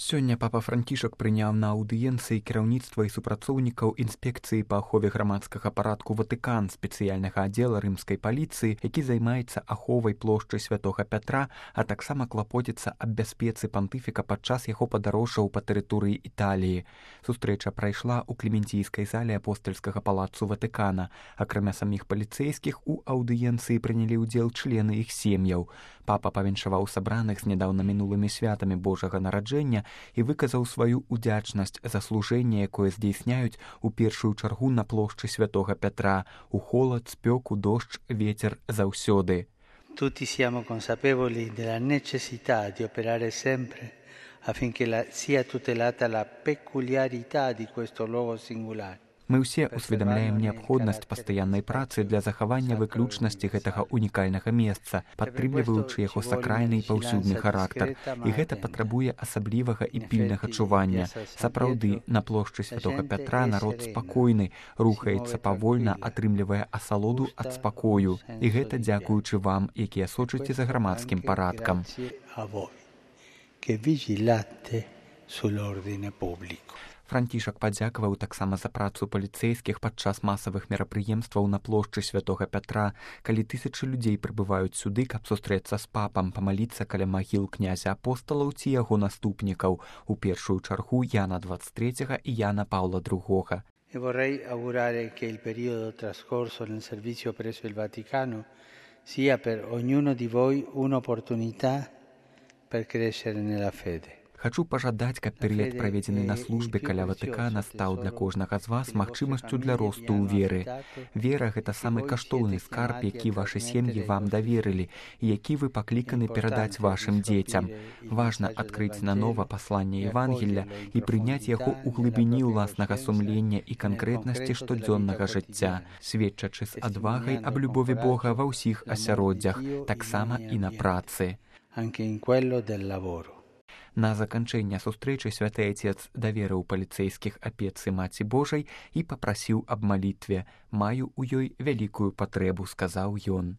Сёння папа Францішак прыняў на аўдыенцыі кіраўніцтва і супрацоўнікаў інспекцыі па ахове грамадскага парадку Ватыкан спецыяльнага аддзела рымскай паліцыі, які займаецца аховай плошчы святога Пятра, а таксама клапоціцца аб бяспецы пантыфіка падчас яго падарожжаў па тэрыторыі Італіі. Сустрэча прайшла ў клементійскай зале апостальскага палацу Ватыкана. Акрамя саміх паліцэйскіх, у аўдыенцыі прынялі ўдзел члены іх сем'яў. Папа павіншаваў сабраных з нядаўна мінулымі святамі Божага нараджэння і выказаў сваю удзячнасць за служэнне, якое здзейсняюць у першую чаргу на плошчы святога Пятра, у холад, спёку, дождж, вецер заўсёды. Tutti siamo consapevoli della necessità di operare sempre affinché sia tutelata la peculiarità di questo luogo singolare. Мы ўсе усведамляем неабходнасць пастаяннай працы для захавання выключнасці гэтага унікальнага месца, падтрымліваючы яго сакральны і паўсюдны характар. І гэта патрабуе асаблівага і пільнага чування. Сапраўды, на плошчы святога Пятра народ спакойны, рухаецца павольна, атрымлівае асалоду ад спакою. І гэта дзякуючы вам, якія сочыце за грамадскім парадкам. Францішак падзякаваў таксама за працу паліцэйскіх падчас масавых мерапрыемстваў на плошчы святога Пятра, калі тысячы людзей прыбываюць сюды, каб сустрэцца з папам, памаліцца каля магіл князя апосталаў ці яго наступнікаў, у першую чаргу Яна 23 і Яна Паўла II. E vorrei augurare che il periodo trascorso nel servizio presso il Vaticano sia per ognuno di voi un'opportunità per crescere nella fede. Хачу пажадаць, каб перыяд, праведзены на службе каля Ватыкана, стаў для кожнага з вас магчымасцю для росту ў веры. Вера – гэта самы каштоўны скарб, які вашы сем'і вам даверылі і які вы пакліканы перадаць вашым дзецям. Важна адкрыць нанова пасланне Евангелля і прыняць яго ў глыбіні ўласнага сумлення і канкрэтнасці штодзённага жыцця, сведчачы з адвагай аб любові Бога ва ўсіх асяроддзях, таксама і на працы. На заканчэнне сустрэчы святы Айцец даверыў паліцэйскіх апецы Маці Божай і папрасіў аб малітве. «Маю ў ёй вялікую патрэбу», сказаў ён.